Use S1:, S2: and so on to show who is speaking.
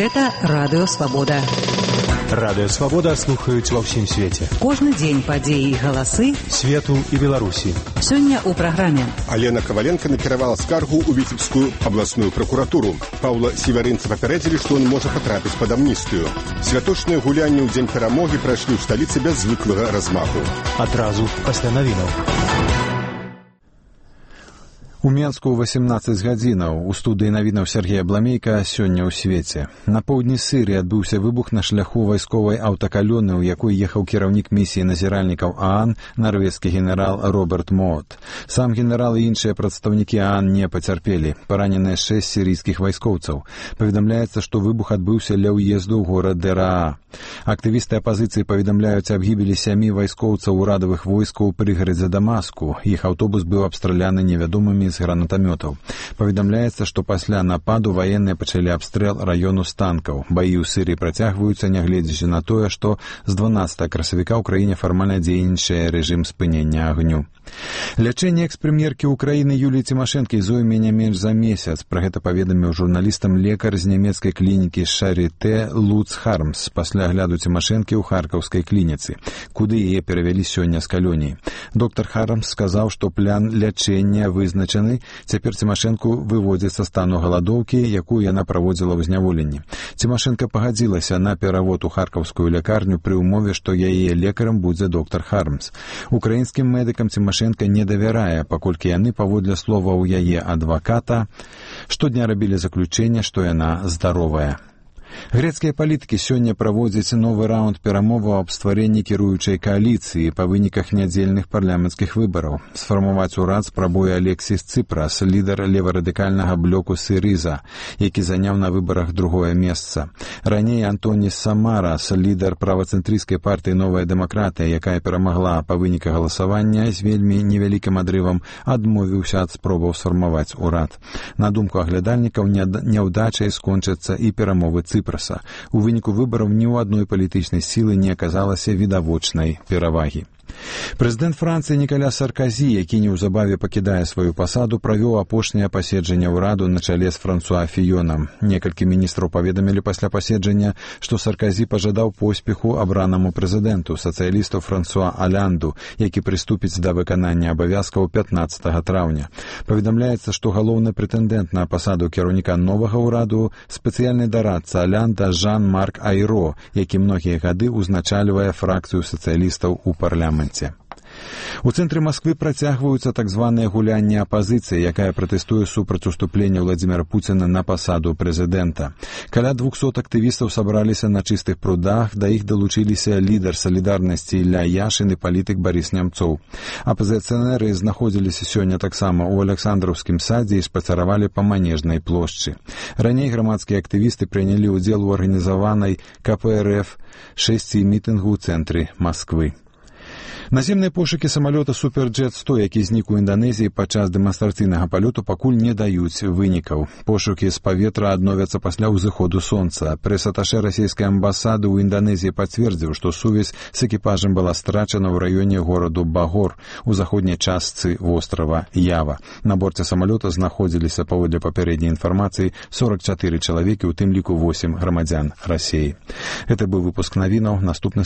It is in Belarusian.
S1: Гэта Радыё Свабода.
S2: Радыё Свабода слухаюць ва ўсім свеце.
S1: Кожны дзень падзеі і галасы
S2: свету і Беларусі.
S1: Сёння ў праграме.
S3: Алена Коваленко накіравала скаргу ў Віцебскую абласную пракуратуру. Паўла Севярынца папярэдзілі, што ён можа патрапіць пад амністыю. Святочныя гулянні ў дзень перамогі прайшлі ў сталіцы без звыклага размаху.
S2: Адразу пасля навінаў.
S4: У Менску 18 гадзінаў. У студыі навінаў Сергея Бламейка сёння ў свеце. На поўдні Сірыі адбыўся выбух на шляху вайсковай аўтакалоны, у якой ехаў кіраўнік місіі назіральнікаў ААН, нарвежскі генерал Роберт Моот. Сам генерал і іншыя прадстаўнікі ААН не пацярпелі. Параненыя 6 сірійскіх вайскоўцаў. Паведамляецца, што выбух адбыўся ля ўезду ў горад Дераа. Актывісты апазіцыі паведамляюць аб гібелі 7 вайскоўцаў урадавых войскаў у прыгарадзе Дамаску. Іх аўтобус быў абстраляны невядомымі з гранатамётаў. Паведамляецца, што пасля нападу ваенныя пачалі абстрэл раёну з танкаў. Баі ў Сірыі працягваюцца, нягледзячы на тое, што з 12 красавіка ў краіне фармальна дзейнічае рэжым спынення агню. Лячэнне экс-прэм'еркі ўкраіны Юліі Цімашэнкі зойме не менш за месяц. Пра гэта паведаміў журналістам лекар з нямецкай клінікі Шарité Луц Хармс пасля агляду Цімашэнкі ў харкаўскай клініцы, куды яе перавялі сёння з калоніі. Доктар Хармс сказаў, што план лячэння вызначаны. Цяпер Цімашэнку выводзяць са стану галадоўкі, якую яна праводзіла ў зняволенні. Цімашэнка пагадзілася на перавод у харкаўскую лякарню пры ўмове, што яе лекарам будзе доктар Хармс. Украінскім медыкам Цімашэнка не давярае, паколькі яны, паводле словаў яе адваката, штодня рабілі заключэнне, што яна здаровая. Грэцкія палітыкі сёння праводзяць новы раунд перамоваў аб стварэнні кіруючай кааліцыі па выніках нядзельных парламенцкіх выбараў. Сфармаваць урад спрабуе Алексіс Ципрас, лідар леварадыкальнага блоку Сірыза, які заняў на выбарах другое месца. Раней Антонис Самарас, лідар правацэнтрыйскай партыі «Новая дэмакратыя», якая перамагла па выніках галасавання з вельмі невялікім адрывам, адмовіўся ад спробаў сфармаваць урад. На думку аглядальнікаў, няўдачай скончацца і перамовы Ципраса. У выніку выбараў ні ў адной палітычнай сілы не аказалася відавочнай перавагі. Прэзідэнт Францыі Нікаля Сарказі, які неўзабаве пакідае сваю пасаду, правёў апошняе паседжанне ўраду на чале з Франсуа Фіёнам. Некалькі міністраў паведамілі пасля паседжання, што Сарказі пажадаў поспеху абранаму прэзідэнту, сацыялісту Франсуа Алянду, які прыступіць да выканання абавязкаў 15 траўня. Паведамляецца, што галоўны прэтэндэнт на пасаду кіраўніка новага ўраду спецыяльны дарадца Алянда Жан-Марк Айро, які многія гады ўзначальвае фракцыю сацыялістаў у парламенце. У цэнтры Масквы працягваюцца так званыя гулянні апазіцыі, якая пратэстуе супраць уступлення Владзіміра Пуціна на пасаду прэзідэнта. Каля 200 актывістаў сабраліся на чыстых прудах, да іх далучыліся лідар салідарнасці Ілля Яшын і палітык Барыс Нямцоў. Апазіцыянеры знаходзіліся сёння таксама ў Аляксандраўскім садзе і спацаравалі па Манежнай плошчы. Раней грамадскія актывісты прынялі ўдзел у арганізаванай КПРФ 6 мітынгу ў цэнтры Масквы. Наземныя пошукі самалёта Суперджет-100, які знік у Інданезіі падчас дэманстрацыйнага палёту, пакуль не даюць вынікаў. Пошукі з паветра адновяцца пасля ўзыходу сонца. Прэс-аташэ расійскай амбасады ў Інданезіі пацвердзіў, што сувязь з экіпажам была страчана ў раёне гораду Багор у заходняй частцы вострава Ява. На борце самалёта знаходзіліся, паводле папярэдняй інфармацыі, 44 чалавекі, у тым ліку 8 грамадзян Расіі. Гэта быў выпуск навінаў. Наступны